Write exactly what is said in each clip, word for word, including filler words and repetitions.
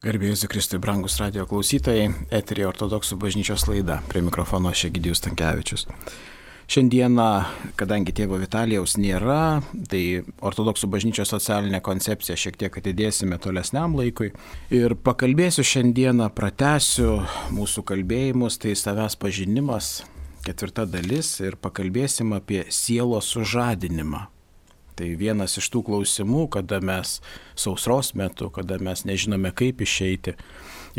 Garbė Jėzui Kristui, brangus radio klausytojai, eteryje Ortodoksų bažnyčios laida, prie mikrofono Egidijus Stankevičius. Šiandieną, kadangi tėvo Vitalijaus nėra, tai Ortodoksų bažnyčios socialinę koncepciją šiek tiek atidėsime tolesniam laikui. Ir pakalbėsiu šiandieną, pratęsiu mūsų kalbėjimus, tai savęs pažinimas, ketvirta dalis, ir pakalbėsim apie sielos sužadinimą. Tai vienas iš tų klausimų, kada mes sausros metu, kada mes nežinome kaip išeiti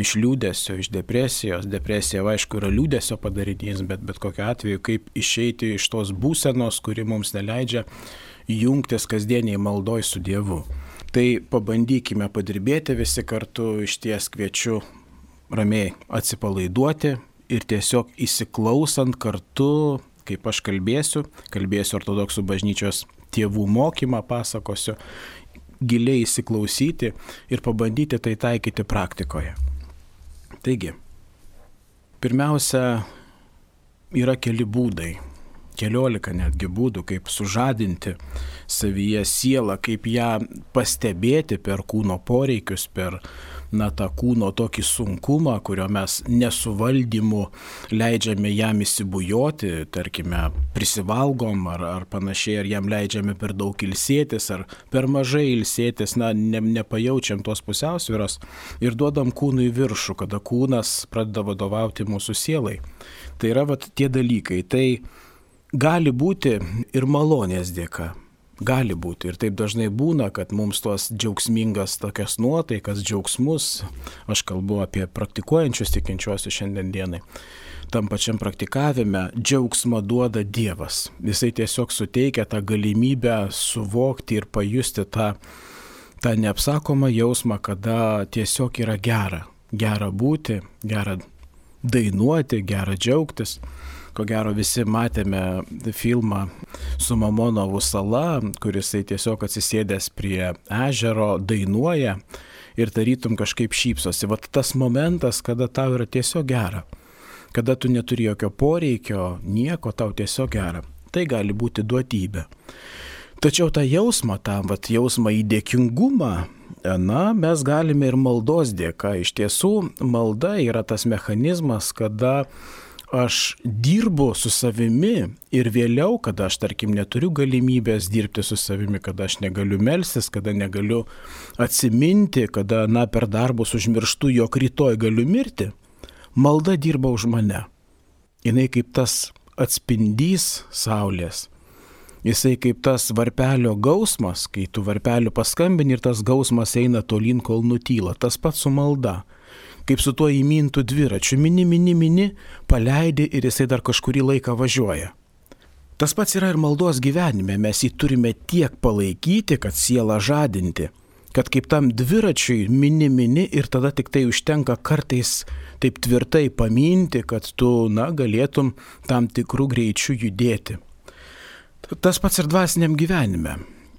iš liūdesio, iš depresijos. Depresija, aišku, yra liūdesio padarinys, bet bet kokiu atveju kaip išeiti iš tos būsenos, kuri mums neleidžia jungtis kasdieniai maldoj su Dievu. Tai pabandykime padirbėti visi kartu, išties kviečiu ramiai atsipalaiduoti ir tiesiog įsiklausant kartu, kaip aš kalbėsiu, kalbėsiu Ortodoksų bažnyčios tėvų mokymą, pasakosiu, giliai įsiklausyti ir pabandyti tai taikyti praktikoje. Taigi, pirmiausia, yra keli būdai, keliolika netgi būdų, kaip sužadinti savyje sielą, kaip ją pastebėti per kūno poreikius, per na, tą kūno tokį sunkumą, kurio mes nesuvaldymu leidžiame jam įsibujoti, tarkime, prisivalgom ar, ar panašiai, ar jam leidžiame per daug ilsėtis, ar per mažai ilsėtis, na, ne, nepajaučiam tos pusiausvyros ir duodam kūnui viršų, kada kūnas pradeda vadovauti mūsų sielai. Tai yra vat tie dalykai. Tai gali būti ir malonės dėka. Gali būti. Ir taip dažnai būna, kad mums tos džiaugsmingas tokias nuotaikas, džiaugsmus, aš kalbu apie praktikuojančius tikinčiuosius šiandien dienai, tam pačiam praktikavime džiaugsmą duoda Dievas. Jisai tiesiog suteikia tą galimybę suvokti ir pajusti tą, tą neapsakomą jausmą, kada tiesiog yra gera. Gera būti, gera dainuoti, gera džiaugtis. Ko gero visi matėme filmą su Mamonovų sala, kuris tiesiog atsisėdęs prie ežero dainuoja ir tarytum kažkaip šypsosi. Vat tas momentas, kada tau yra tiesiog gera, kada tu neturi jokio poreikio, nieko, tau tiesiog gera. Tai gali būti duotybė. Tačiau tą jausmą, tą vat, jausmą į dėkingumą, na, mes galime ir maldos dėka. Iš tiesų, malda yra tas mechanizmas, kada aš dirbu su savimi ir vėliau, kada aš, tarkim, neturiu galimybės dirbti su savimi, kada aš negaliu melstis, kada negaliu atsiminti, kada, na, per darbus užmirštu, jog rytoj galiu mirti, malda dirba už mane. Jinai kaip tas atspindys saulės. Jisai kaip tas varpelio gausmas, kai tu varpeliu paskambini ir tas gausmas eina tolyn, kol nutyla. Tas pats su malda. Kaip su tuo įmintų dviračiu, mini, mini, mini, paleidi ir jisai dar kažkurį laiką važiuoja. Tas pats yra ir maldos gyvenime, mes jį turime tiek palaikyti, kad sielą žadinti, kad kaip tam dviračiui mini, mini ir tada tik tai užtenka kartais taip tvirtai paminti, kad tu, na, galėtum tam tikrų greičių judėti. Tas pats ir dvasiniam gyvenime.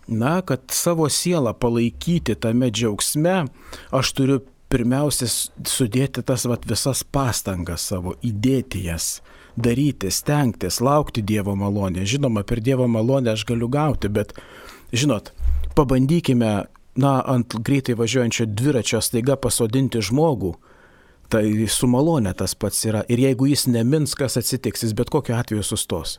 Na, kad savo sielą palaikyti tame džiaugsme, aš turiu pirmiausia sudėti tas vat, visas pastangas savo, įdėti jas, daryti, stengtis, laukti Dievo malonę. Žinoma, per Dievo malonę aš galiu gauti, bet, žinot, pabandykime, na, ant greitai važiuojančio dviračio staiga pasodinti žmogų, tai su malonė tas pats yra. Ir jeigu jis nemins, kas atsitiks, jis bet kokiu atveju sustos.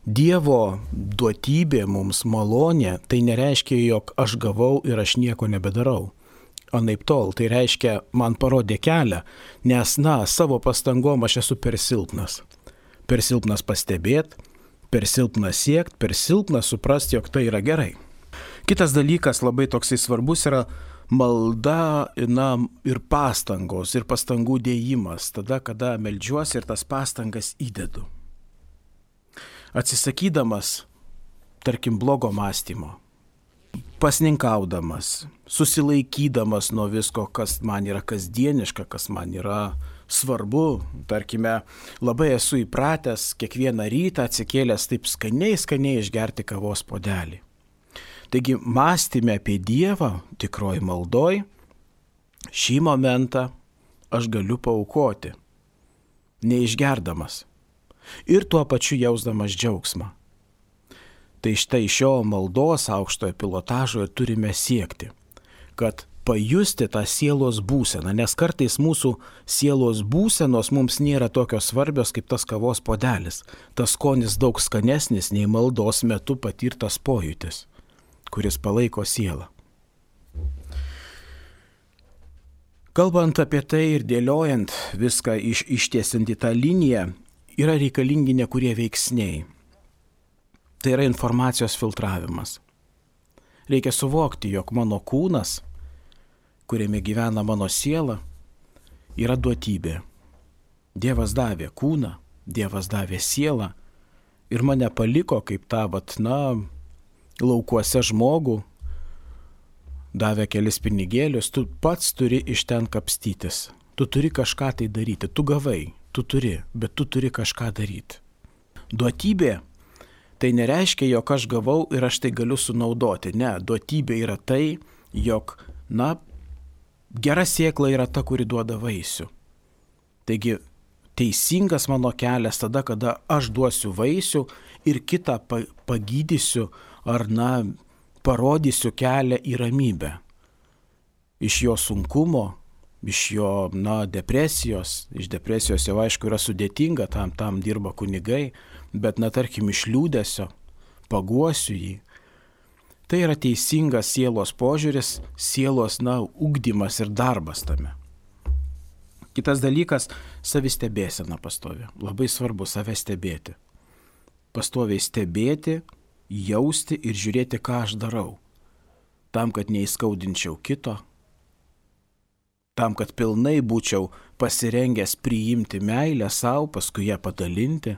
Dievo duotybė mums malonė, tai nereiškia, jog aš gavau ir aš nieko nebedarau. Anaip tol, tai reiškia, man parodė kelią, nes, na, savo pastangom aš esu per silpnas. Per silpnas pastebėti, per silpnas siekti, per silpnas suprasti, jog tai yra gerai. Kitas dalykas labai toksai svarbus yra malda, na, ir pastangos, ir pastangų dėjimas, tada, kada meldžiuosi ir tas pastangas įdedu. Atsisakydamas, tarkim, blogo mąstymo, pasninkaudamas, susilaikydamas nuo visko, kas man yra kasdieniška, kas man yra svarbu. Tarkime, labai esu įpratęs kiekvieną rytą atsikėlęs taip skaniai, skaniai išgerti kavos puodelį. Taigi, mąstyme apie Dievą, tikroji maldoj, šį momentą aš galiu paaukoti, neišgerdamas ir tuo pačiu jausdamas džiaugsmą. Tai štai šio maldos aukštojo pilotažo ir turime siekti, kad pajusti tą sielos būseną, nes kartais mūsų sielos būsenos mums nėra tokios svarbios kaip tas kavos puodelis. Tas skonis daug skanesnis nei maldos metu patirtas pojūtis, kuris palaiko sielą. Kalbant apie tai ir dėliojant viską iš, ištiesiant į tą liniją, yra reikalingi nekurie veiksniai. Tai yra informacijos filtravimas. Reikia suvokti, jog mano kūnas, kuriame gyvena mano siela, yra duotybė. Dievas davė kūną, Dievas davė sielą ir mane paliko kaip tą, vat, na, laukuose žmogų, davė kelis pinigėlius, tu pats turi iš ten kapstytis. Tu turi kažką tai daryti. Tu gavai, tu turi, bet tu turi kažką daryti. Duotybė tai nereiškia, jog aš gavau ir aš tai galiu sunaudoti. Ne, duotybė yra tai, jog, na, gera sėkla yra ta, kuri duoda vaisių. Taigi, teisingas mano kelias tada, kada aš duosiu vaisių ir kitą pagydysiu ar, na, parodysiu kelią į ramybę. Iš jo sunkumo, iš jo, na, depresijos, iš depresijos jau aišku yra sudėtinga, tam, tam dirba kunigai, bet, na, tarkim, iš liūdesio paguosiu jį. Tai yra teisingas sielos požiūris, sielos, na, ugdymas ir darbas tame. Kitas dalykas - savistebėsena pastovi. Labai svarbu save stebėti. Pastoviai stebėti, jausti ir žiūrėti, ką aš darau. Tam, kad neįskaudinčiau kito, tam, kad pilnai būčiau pasirengęs priimti meilę savo, paskui ją padalinti.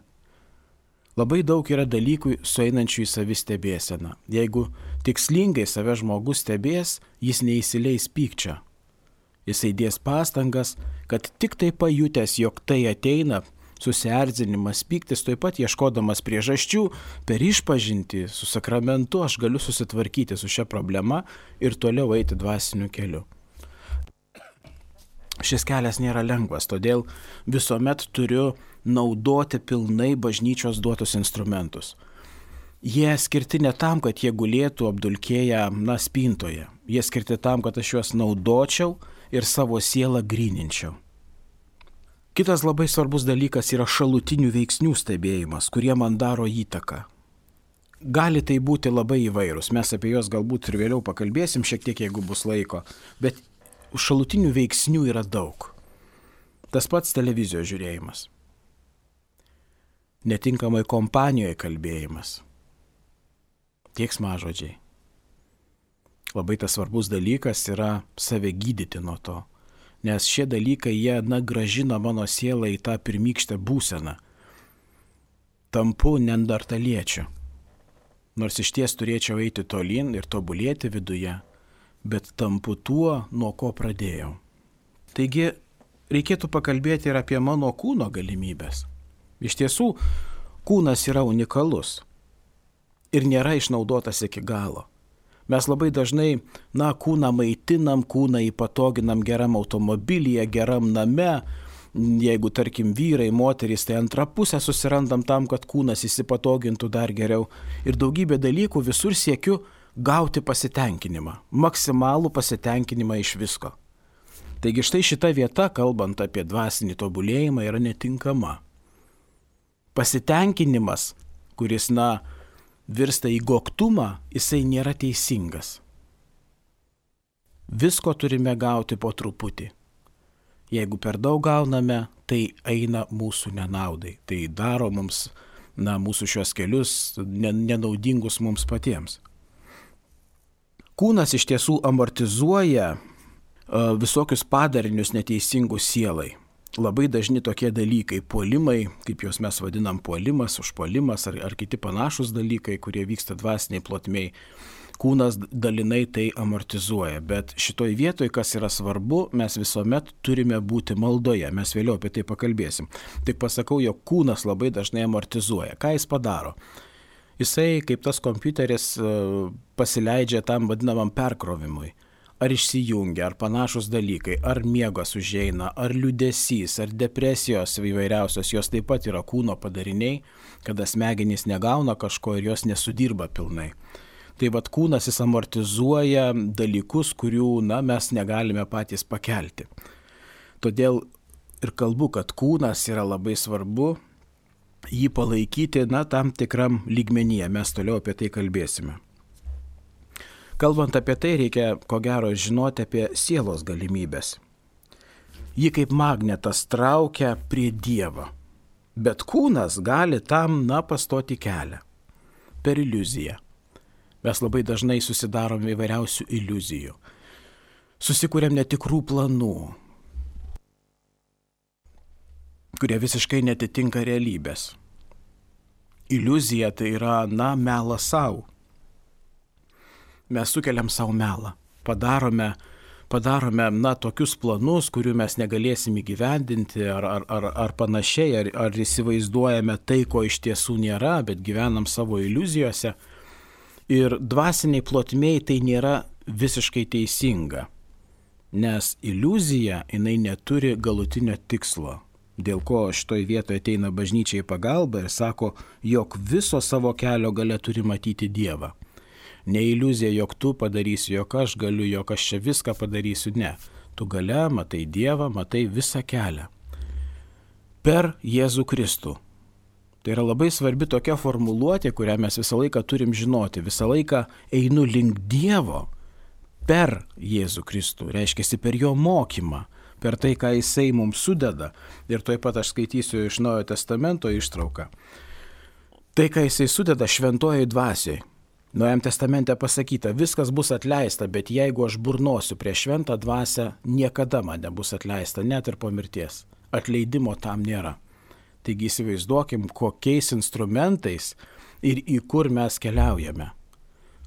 Labai daug yra dalykų sueinančių į savistebėseną. Jeigu tikslingai save žmogus stebės, jis neįsileis pykčio. Jis įdės pastangas, kad tik tai pajutęs, jog tai ateina, susierzinimas, pyktis, taip pat ieškodamas priežasčių, per išpažintį su sakramentu aš galiu susitvarkyti su šia problema ir toliau eiti dvasiniu keliu. Šis kelias nėra lengvas, todėl visuomet turiu naudoti pilnai bažnyčios duotus instrumentus. Jie skirti ne tam, kad jie gulėtų apdulkėję, na, spintoje. Jie skirti tam, kad aš juos naudočiau ir savo sielą gryninčiau. Kitas labai svarbus dalykas yra šalutinių veiksnių stebėjimas, kurie man daro įtaką. Gali tai būti labai įvairūs, mes apie juos galbūt ir vėliau pakalbėsim šiek tiek, jeigu bus laiko, bet šalutinių veiksnių yra daug. Tas pats televizijos žiūrėjimas, netinkamai kompanijoje kalbėjimas, keiksmažodžiai. Labai tas svarbus dalykas yra save gydyti nuo to. Nes šie dalykai, jie, na, gražina mano sielą į tą pirmykštę būseną. Tampu neandertaliečiu. Nors iš ties turėčiau eiti tolyn ir tobulėti viduje, bet tampu tuo, nuo ko pradėjau. Taigi, reikėtų pakalbėti ir apie mano kūno galimybės. Iš tiesų, kūnas yra unikalus ir nėra išnaudotas iki galo. Mes labai dažnai, na, kūną maitinam, kūną įpatoginam geram automobilyje, geram name. Jeigu, tarkim, vyrai, moterys, tai antrą pusę susirandam tam, kad kūnas įsipatogintų dar geriau. Ir daugybė dalykų visur siekiu gauti pasitenkinimą, maksimalų pasitenkinimą iš visko. Taigi štai šita vieta, kalbant apie dvasinį tobulėjimą, yra netinkama. Pasitenkinimas, kuris, na, virsta į goktumą, jisai nėra teisingas. Visko turime gauti po truputį. Jeigu per daug gauname, tai eina mūsų nenaudai. Tai daro mums, na, mūsų šios kelius nenaudingus mums patiems. Kūnas iš tiesų amortizuoja uh, visokius padarinius neteisingus sielai. Labai dažni tokie dalykai, puolimai, kaip juos mes vadinam, puolimas, užpuolimas ar, ar kiti panašus dalykai, kurie vyksta dvasiniai plotmiai. Kūnas dalinai tai amortizuoja, bet šitoj vietoj, kas yra svarbu, mes visuomet turime būti maldoje, mes vėliau apie tai pakalbėsim. Tik pasakau, jog kūnas labai dažnai amortizuoja. Ką jis padaro? Jisai, kaip tas kompiuteris, pasileidžia tam vadinamam perkrovimui. Ar išsijungia, ar panašus dalykai, ar miegas užeina, ar liūdesys, ar depresijos įvairiausios, jos taip pat yra kūno padariniai, kada smegenys negauna kažko ir jos nesudirba pilnai. Tai vad kūnas jis amortizuoja dalykus, kurių na, mes negalime patys pakelti. Todėl ir kalbu, kad kūnas yra labai svarbu, jį palaikyti na, tam tikram lygmenyje. Mes toliau apie tai kalbėsime. Kalbant apie tai, reikia ko gero žinoti apie sielos galimybės. Ji kaip magnetas traukia prie Dievo, bet kūnas gali tam, na, pastoti kelią per iliuziją. Mes labai dažnai susidarom įvairiausių iliuzijų. Susikūrėm netikrų planų, kurie visiškai netitinka realybės. Iliuzija tai yra, na, melas savo. Mes sukeliam savo melą, padarome, padarome na, tokius planus, kurių mes negalėsim įgyvendinti ar, ar, ar, ar panašiai, ar, ar įsivaizduojame tai, ko iš tiesų nėra, bet gyvenam savo iliuzijose. Ir dvasiniai plotmėj tai nėra visiškai teisinga, nes iliuzija jinai neturi galutinio tikslo, dėl ko šitoj vietoje ateina bažnyčia į pagalbą ir sako, jog viso savo kelio gale turi matyti Dievą. Ne iliuzija, jog tu padarysi, jog aš galiu, jog aš čia viską padarysiu, ne. Tu gale matai Dievą, matai visą kelią. Per Jėzų Kristų. Tai yra labai svarbi tokia formuluotė, kurią mes visą laiką turim žinoti. Visą laiką einu link Dievo per Jėzų Kristų. Reiškia, per jo mokymą, per tai, ką jisai mums sudeda. Ir tuoj pat aš skaitysiu iš Naujojo Testamento ištrauką. Tai, ką jisai sudeda šventojoj dvasioj. Naujam testamente pasakyta, viskas bus atleista, bet jeigu aš burnosiu prie šventą dvasią, niekada man nebus atleista, net ir po mirties. Atleidimo tam nėra. Taigi įsivaizduokim, kokiais instrumentais ir į kur mes keliaujame.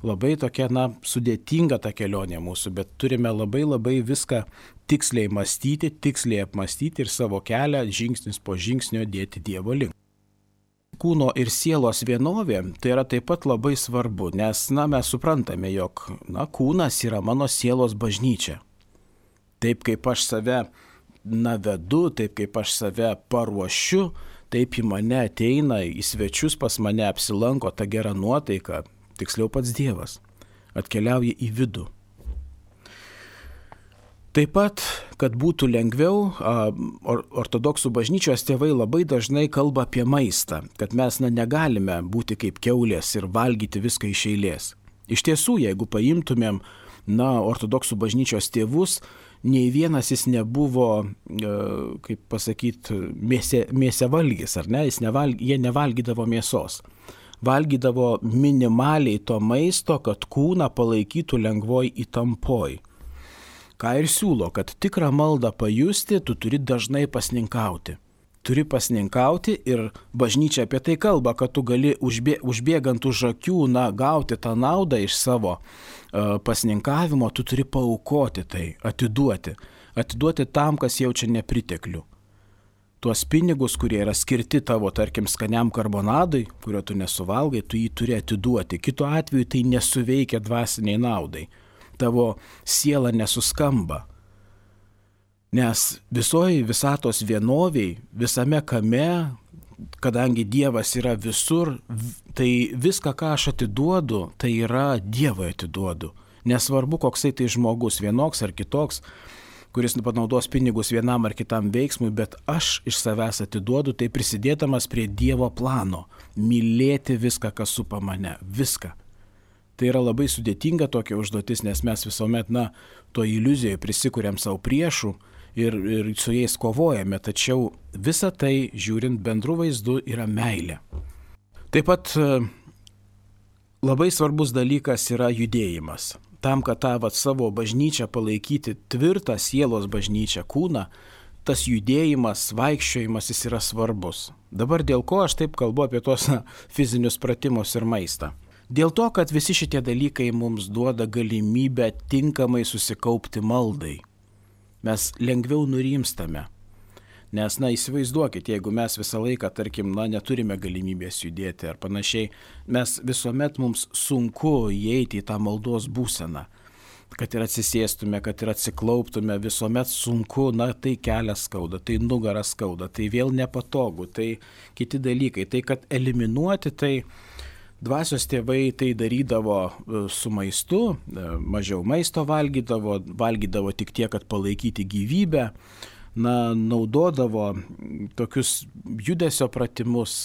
Labai tokia, na, sudėtinga ta kelionė mūsų, bet turime labai labai viską tiksliai mąstyti, tiksliai apmastyti ir savo kelią žingsnis po žingsnio dėti Dievo link. Kūno ir sielos vienovė tai yra taip pat labai svarbu, nes na, mes suprantame, jog na, kūnas yra mano sielos bažnyčia. Taip kaip aš save na, vedu, taip kaip aš save paruošiu, taip į mane ateina, į svečius pas mane apsilanko ta gera nuotaika, tiksliau pats Dievas, atkeliauja į vidų. Taip pat, kad būtų lengviau, ortodoksų bažnyčios tėvai labai dažnai kalba apie maistą, kad mes na, negalime būti kaip kiaulės ir valgyti viską iš eilės. Iš tiesų, jeigu paimtumėm na, ortodoksų bažnyčios tėvus, nei vienas jis nebuvo, kaip pasakyti, mėse, mėsevalgis, ar ne? Jis nevalg, jie nevalgydavo mėsos. Valgydavo minimaliai to maisto, kad kūną palaikytų lengvoj įtampoj. Ką ir siūlo, kad tikrą maldą pajusti, tu turi dažnai pasninkauti. Turi pasninkauti ir bažnyčia apie tai kalba, kad tu gali užbė, užbėgant už akių, na, gauti tą naudą iš savo uh, pasninkavimo, tu turi paaukoti tai, atiduoti. Atiduoti tam, kas jaučia nepriteklių. Tuos pinigus, kurie yra skirti tavo, tarkim, skaniam karbonadui, kurio tu nesuvalgai, tu jį turi atiduoti. Kitu atveju tai nesuveikia dvasiniai naudai. Tavo siela nesuskamba. Nes visoji visatos vienoviai, visame kame, kadangi Dievas yra visur, tai viską, ką aš atiduodu, tai yra Dievui atiduodu. Nesvarbu, koksai tai žmogus, vienoks ar kitoks, kuris panaudos pinigus vienam ar kitam veiksmui, bet aš iš savęs atiduodu, tai prisidėdamas prie Dievo plano, mylėti viską, kas supa mane, viską. Tai yra labai sudėtinga tokia užduotis, nes mes visuomet, na, to iliuzijoje prisikuriam savo priešų ir, ir su jais kovojame, tačiau visa tai, žiūrint bendru vaizdu, yra meilė. Taip pat labai svarbus dalykas yra judėjimas. Tam, kad tą vat, savo bažnyčią palaikyti tvirtą sielos bažnyčią, kūną, tas judėjimas, vaikščiojimas jis yra svarbus. Dabar dėl ko aš taip kalbu apie tos na, fizinius pratimus ir maistą? Dėl to, kad visi šitie dalykai mums duoda galimybę tinkamai susikaupti maldai. Mes lengviau nurimstame. Nes, na, įsivaizduokit, jeigu mes visą laiką, tarkim, na, neturime galimybės judėti ar panašiai, mes visuomet mums sunku įeiti į tą maldos būseną. Kad ir atsisėstume, kad ir atsiklauptume, visuomet sunku, na, tai kelias skauda, tai nugaras skauda, tai vėl nepatogu, tai kiti dalykai. Tai, kad eliminuoti tai Dvasios tėvai tai darydavo su maistu, mažiau maisto valgydavo, valgydavo tik tiek, kad palaikyti gyvybę, na, naudodavo tokius judesio pratimus,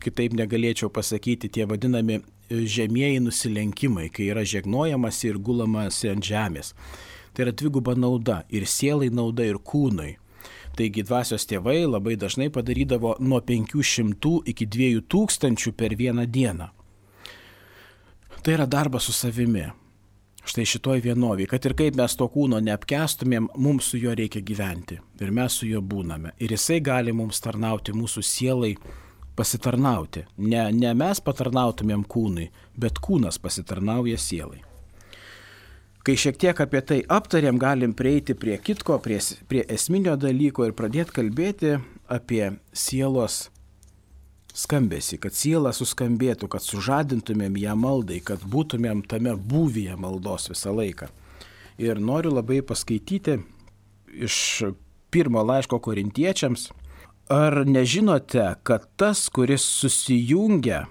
kitaip negalėčiau pasakyti, tie vadinami žemieji nusilenkimai, kai yra žegnojamas ir gulamas ant žemės. Tai yra dviguba nauda, ir sielai nauda, ir kūnui. Taigi dvasios tėvai labai dažnai padarydavo nuo penkių šimtų iki dviejų tūkstančių per vieną dieną. Tai yra darbas su savimi. Štai šitoj vienovėje, kad ir kaip mes to kūno neapkęstumėm, mums su juo reikia gyventi. Ir mes su juo būname. Ir jisai gali mums tarnauti, mūsų sielai pasitarnauti. Ne, ne mes patarnautumėm kūnui, bet kūnas pasitarnauja sielai. Kai šiek tiek apie tai aptarėm, galim prieiti prie kitko, prie, prie esminio dalyko ir pradėti kalbėti apie sielos skambesį, kad siela suskambėtų, kad sužadintumėm ją maldai, kad būtumėm tame būvyje maldos visą laiką. Ir noriu labai paskaityti iš pirmo laiško Korintiečiams. Ar nežinote, kad tas, kuris susijungia,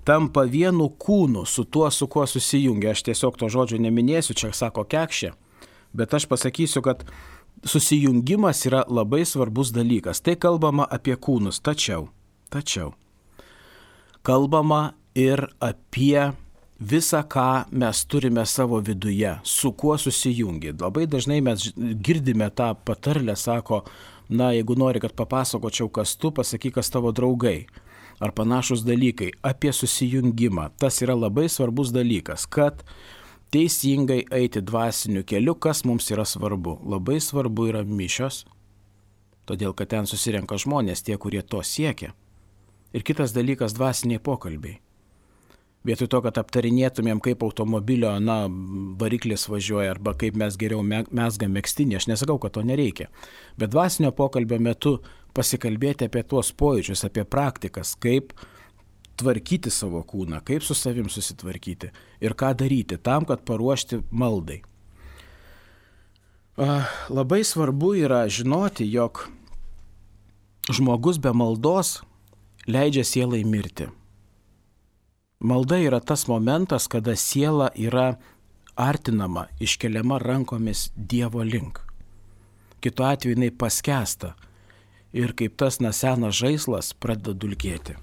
tampa vienu kūnu su tuo, su kuo susijungia? Aš tiesiog to žodžio neminėsiu, čia sako Kekšė, bet aš pasakysiu, kad susijungimas yra labai svarbus dalykas. Tai kalbama apie kūnus, tačiau Tačiau kalbama ir apie visą, ką mes turime savo viduje, su kuo susijungi. Labai dažnai mes girdime tą patarlę, sako, na, jeigu nori, kad papasakočiau, kas tu, pasakyk, kas tavo draugai. Ar panašus dalykai apie susijungimą. Tas yra labai svarbus dalykas, kad teisingai eiti dvasiniu keliu, kas mums yra svarbu. Labai svarbu yra mišios, todėl kad ten susirenka žmonės, tie, kurie to siekia. Ir kitas dalykas - dvasiniai pokalbiai. Vietoj to, kad aptarinėtumėm, kaip automobilio, na, variklis važiuoja arba kaip mes geriau mezgam megztinį, aš nesakau, kad to nereikia. Bet dvasinio pokalbio metu pasikalbėti apie tuos pojūčius, apie praktikas, kaip tvarkyti savo kūną, kaip su savim susitvarkyti ir ką daryti tam, kad paruošti maldai. Labai svarbu yra žinoti, jog žmogus be maldos leidžia sielai mirti. Malda yra tas momentas, kada siela yra artinama, iškeliama rankomis Dievo link. Kitu atveju jinai paskęsta ir kaip tas na senas žaislas pradeda dulkėti.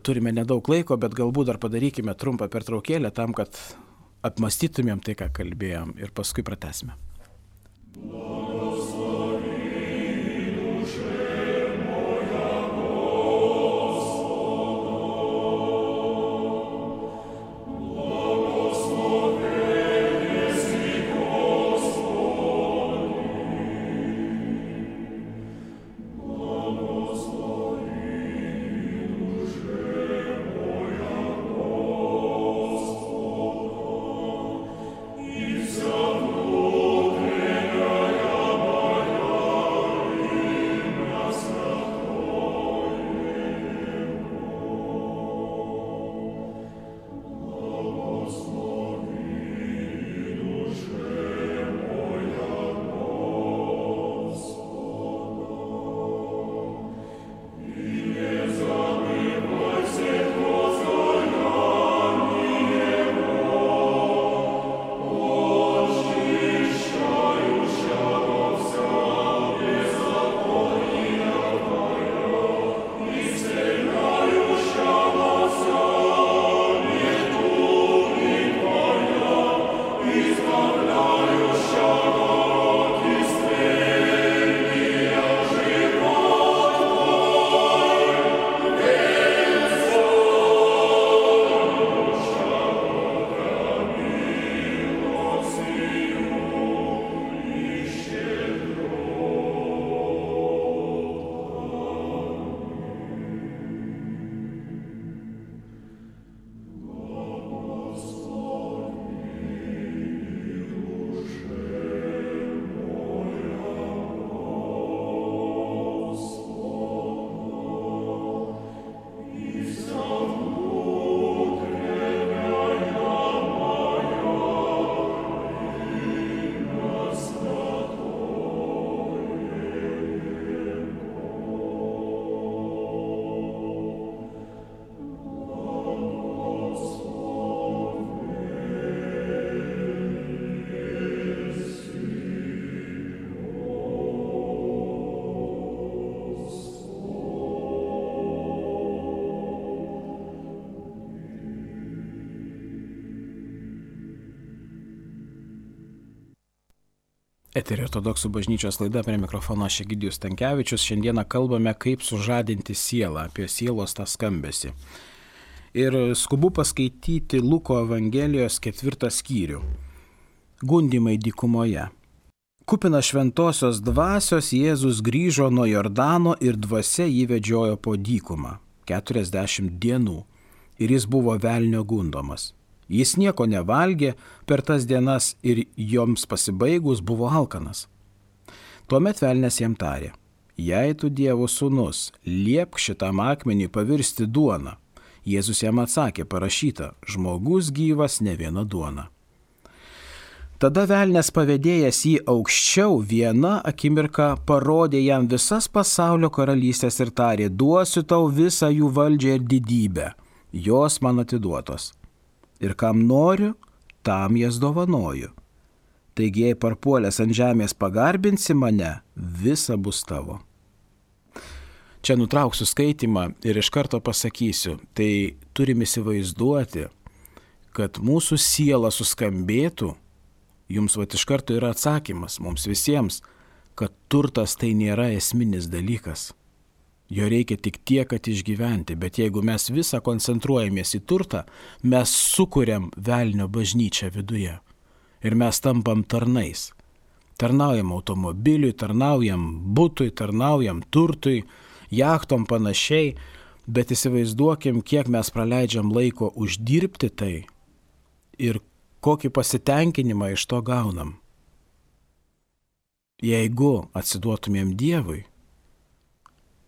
Turime nedaug laiko, bet galbūt dar padarykime trumpą pertraukėlę tam, kad apmastytumėm tai, ką kalbėjom ir paskui pratęsime. Isa Eterio ortodoksų bažnyčios laida, prie mikrofono aš Egidijus Stankevičius. Šiandieną kalbame, kaip sužadinti sielą, apie sielos tą skambesį. Ir skubu paskaityti Luko Evangelijos ketvirtą skyrių. Gundymai dykumoje. Kupina šventosios dvasios Jėzus grįžo nuo Jordano ir dvasia jį vedžiojo po dykumą keturiasdešimt dienų. Ir jis buvo velnio gundomas. Jis nieko nevalgė per tas dienas ir joms pasibaigus buvo alkanas. Tuomet velnias jam tarė: jei tu Dievo sūnus, liepk šitam akmenį pavirsti duoną. Jėzus jam atsakė: parašyta, žmogus gyvas ne viena duona. Tada velnias pavedėjęs jį aukščiau vieną akimirką parodė jam visas pasaulio karalystės ir tarė: duosiu tau visą jų valdžią ir didybę, jos man atiduotos. Ir kam noriu, tam jas dovanoju. Taigi, jei parpuolęs ant žemės pagarbinsi mane, visa bus tavo. Čia nutrauksiu skaitimą ir iš karto pasakysiu, tai turim įsivaizduoti, kad mūsų siela suskambėtų, jums vat iš karto yra atsakymas mums visiems, kad turtas tai nėra esminis dalykas. Jo reikia tik tiek, kad išgyventi, bet jeigu mes visą koncentruojamės į turtą, mes sukuriam velnio bažnyčią viduje. Ir mes tampam tarnais. Tarnaujam automobiliui, tarnaujam butui, tarnaujam turtui, jachtom panašiai, bet įsivaizduokim, kiek mes praleidžiam laiko uždirbti tai ir kokį pasitenkinimą iš to gaunam. Jeigu atsiduotumėm Dievui,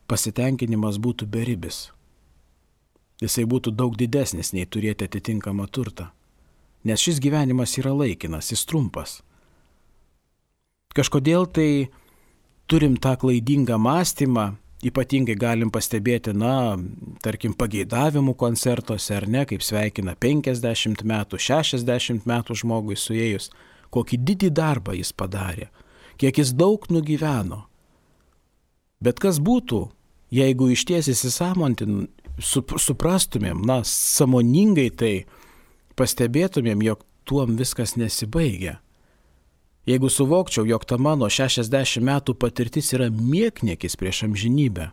pasitenkinimas būtų beribis. Jisai būtų daug didesnis nei turėti atitinkamą turtą. Nes šis gyvenimas yra laikinas, jis trumpas. Kažkodėl tai turim tą klaidingą mąstymą, ypatingai galim pastebėti, na, tarkim, pageidavimų koncertuose, ar ne, kaip sveikina penkiasdešimt metų, šešiasdešimt metų žmogui suėjus, kokį didį darbą jis padarė, kiek jis daug nugyveno. Bet kas būtų, jeigu išties įsisamontin, suprastumėm, na, sąmoningai tai pastebėtumėm, jog tuom viskas nesibaigia. Jeigu suvokčiau, jog ta mano šešiasdešimt metų patirtis yra niekniekis prieš amžinybę.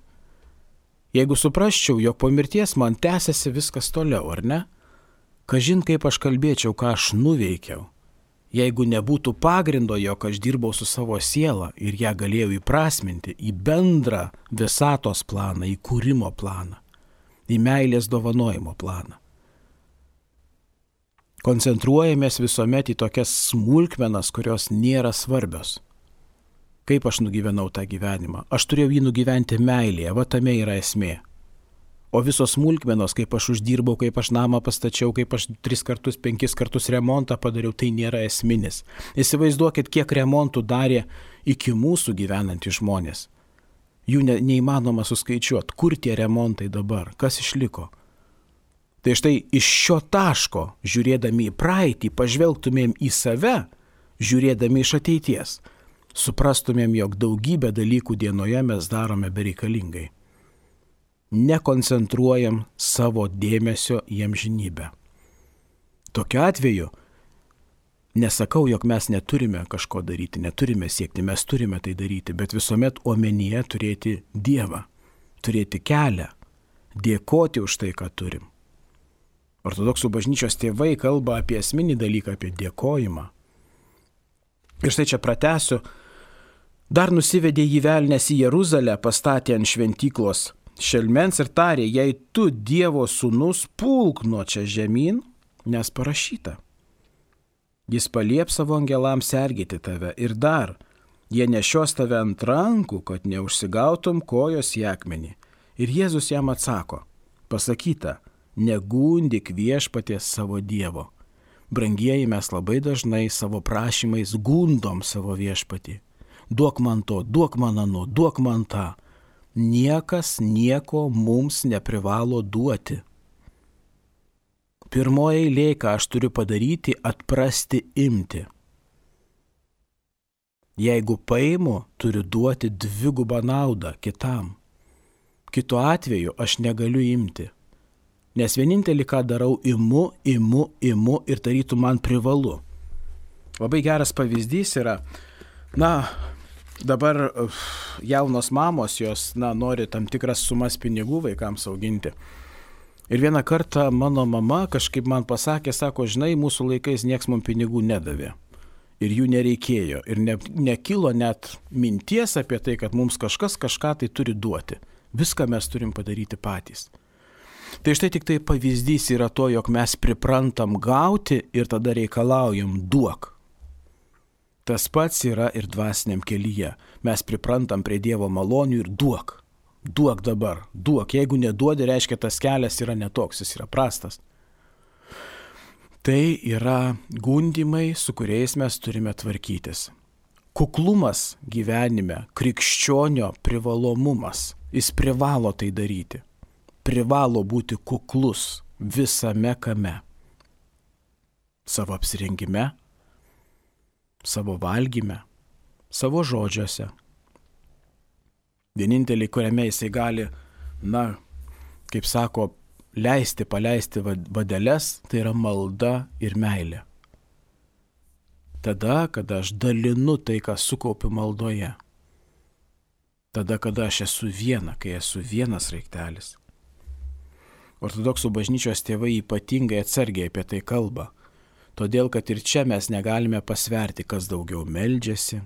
Jeigu suprasčiau, jog po mirties man tęsiasi viskas toliau, ar ne? Kažin kaip aš kalbėčiau, ką aš nuveikiau. Jeigu nebūtų pagrindo, jog aš dirbau su savo siela ir ją galėjau įprasminti į bendrą visatos planą, į kūrimo planą, į meilės dovanojimo planą. Koncentruojamės visuomet į tokias smulkmenas, kurios nėra svarbios. Kaip aš nugyvenau tą gyvenimą? Aš turėjau jį nugyventi meilėje, va tame yra esmė. O visos smulkmenos, kaip aš uždirbau, kaip aš namą pastačiau, kaip aš tris kartus, penkis kartus remontą padariau, tai nėra esminis. Įsivaizduokit, kiek remontų darė iki mūsų gyvenantys žmonės. Jų ne, neįmanoma suskaičiuoti, kur tie remontai dabar, kas išliko. Tai štai iš šio taško, žiūrėdami į praeitį, pažvelgtumėm į save, žiūrėdami iš ateities. Suprastumėm, jog daugybę dalykų dienoje mes darome bereikalingai. Nekoncentruojam savo dėmesio į amžinybę. Tokiu atveju nesakau, jog mes neturime kažko daryti, neturime siekti, mes turime tai daryti, bet visuomet omenyje turėti Dievą, turėti kelią, dėkoti už tai, ką turim. Ortodoksų bažnyčios tėvai kalba apie esminį dalyką, apie dėkojimą. Ir štai čia pratęsiu, dar nusivedė jį velnias į Jeruzalę, pastatė ant šventyklos šelmens ir tarė: jei tu Dievo sūnus, pulk nuo čia žemyn, nes parašyta. Jis palieps savo angelams sergėti tave ir dar, jie nešios tave ant rankų, kad neužsigautum kojos į akmenį. Ir Jėzus jam atsako: pasakyta, negundyk viešpaties savo Dievo. Brangieji, mes labai dažnai savo prašymais gundom savo viešpatį. Duok man to, duok man ano, duok man tą. Niekas nieko mums neprivalo duoti. Pirmoji eilė, ką aš turiu padaryti, atprasti imti. Jeigu paimu, turiu duoti dvigubą naudą kitam. Kitu atveju aš negaliu imti. Nes vienintelį, ką darau, imu, imu, imu ir tarytum man privalu. Labai geras pavyzdys yra, Na, dabar jaunos mamos, jos, na, nori tam tikras sumas pinigų vaikams auginti. Ir vieną kartą mano mama kažkaip man pasakė, sako, žinai, mūsų laikais nieks mums pinigų nedavė. Ir jų nereikėjo. Ir ne, nekilo net minties apie tai, kad mums kažkas kažką tai turi duoti. Viską mes turim padaryti patys. Tai štai tik tai pavyzdys yra to, jog mes priprantam gauti ir tada reikalaujam duok. Tas pats yra ir dvasiniam kelyje. Mes priprantam prie Dievo malonių ir duok. Duok dabar, duok. Jeigu neduodi, reiškia, tas kelias yra netoks, jis yra prastas. Tai yra gundimai, su kuriais mes turime tvarkytis. Kuklumas gyvenime, krikščionio privalomumas. Jis privalo tai daryti. Privalo būti kuklus visame kame. Savo apsirengime, savo valgyme, savo žodžiuose. Vienintelį, kuriame jisai gali, na, kaip sako, leisti, paleisti vadeles, tai yra malda ir meilė. Tada, kada aš dalinu tai, ką sukaupiu maldoje. Tada, kada aš esu viena, kai esu vienas raiktelis. Ortodoksų bažnyčios tėvai ypatingai atsargiai apie tai kalba. Todėl, kad ir čia mes negalime pasverti, kas daugiau meldžiasi,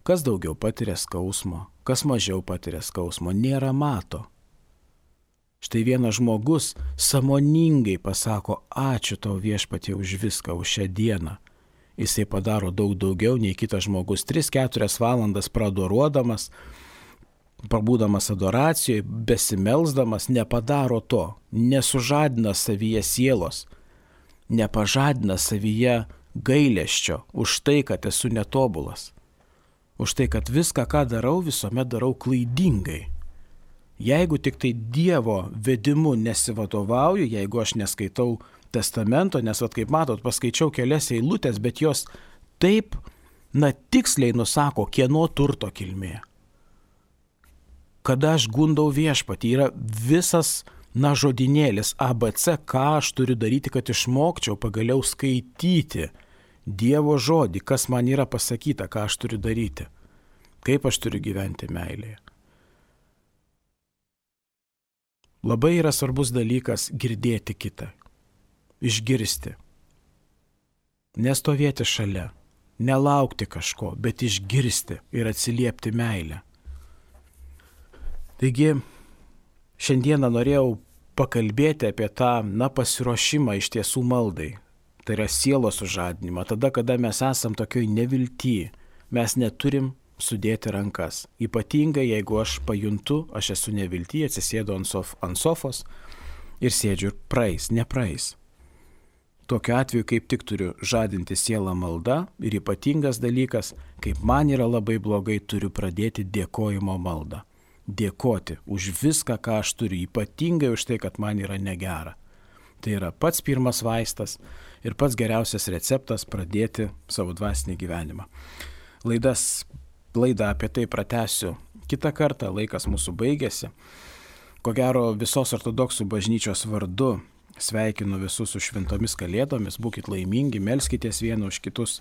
kas daugiau patiria skausmo, kas mažiau patiria skausmo, nėra mato. Štai vienas žmogus sąmoningai pasako, ačiū tau Viešpatie už viską, už šią dieną. Jisai padaro daug daugiau nei kitas žmogus, tris keturias valandas pradoruodamas, pabūdamas adoracijoje, besimelsdamas, nepadaro to, nesužadina savyje sielos, nepažadina savyje gailesčio už tai, kad esu netobulas. Už tai, kad viską, ką darau, visuomet darau klaidingai. Jeigu tik tai Dievo vedimu nesivadovauju, jeigu aš neskaitau testamento, nes, vat, kaip matot, paskaičiau kelias eilutės, bet jos taip, na, tiksliai nusako, kieno turto kilmė. Kada aš gundau Viešpatį, yra visas, na, žodinėlis A B C, ką aš turiu daryti, kad išmokčiau pagaliau skaityti Dievo žodį, kas man yra pasakyta, ką aš turiu daryti, kaip aš turiu gyventi meilėje. Labai yra svarbus dalykas girdėti kitą, išgirsti, nestovėti šalia, nelaukti kažko, bet išgirsti ir atsiliepti meilę. Taigi, šiandieną norėjau pakalbėti apie tą, na, pasiruošimą iš tiesų maldai. Tai yra sielos sužadinimą. Tada, kada mes esam tokioj nevilty, mes neturim sudėti rankas. Ypatingai, jeigu aš pajuntu, aš esu nevilty, atsisėdu ant, sof, ant sofos ir sėdžiu ir praeis, nepraeis. Tokiu atveju kaip tik turiu žadinti sielą malda ir ypatingas dalykas, kaip man yra labai blogai, turiu pradėti dėkojimo maldą. Dėkoti už viską, ką aš turiu, ypatingai už tai, kad man yra negera. Tai yra pats pirmas vaistas ir pats geriausias receptas pradėti savo dvasinį gyvenimą. Laidas, laidą apie tai pratęsiu kitą kartą, laikas mūsų baigėsi. Ko gero visos ortodoksų bažnyčios vardu sveikinu visus su šventomis kalėdomis, būkit laimingi, melskitės vieni už kitus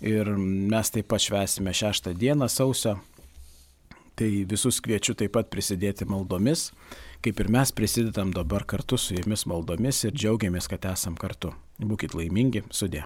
ir mes taip pat švęsime šeštą dieną sausio. Tai visus kviečiu taip pat prisidėti maldomis, kaip ir mes prisidedam dabar kartu su jumis maldomis ir džiaugiamės, kad esam kartu. Būkit laimingi, sudie.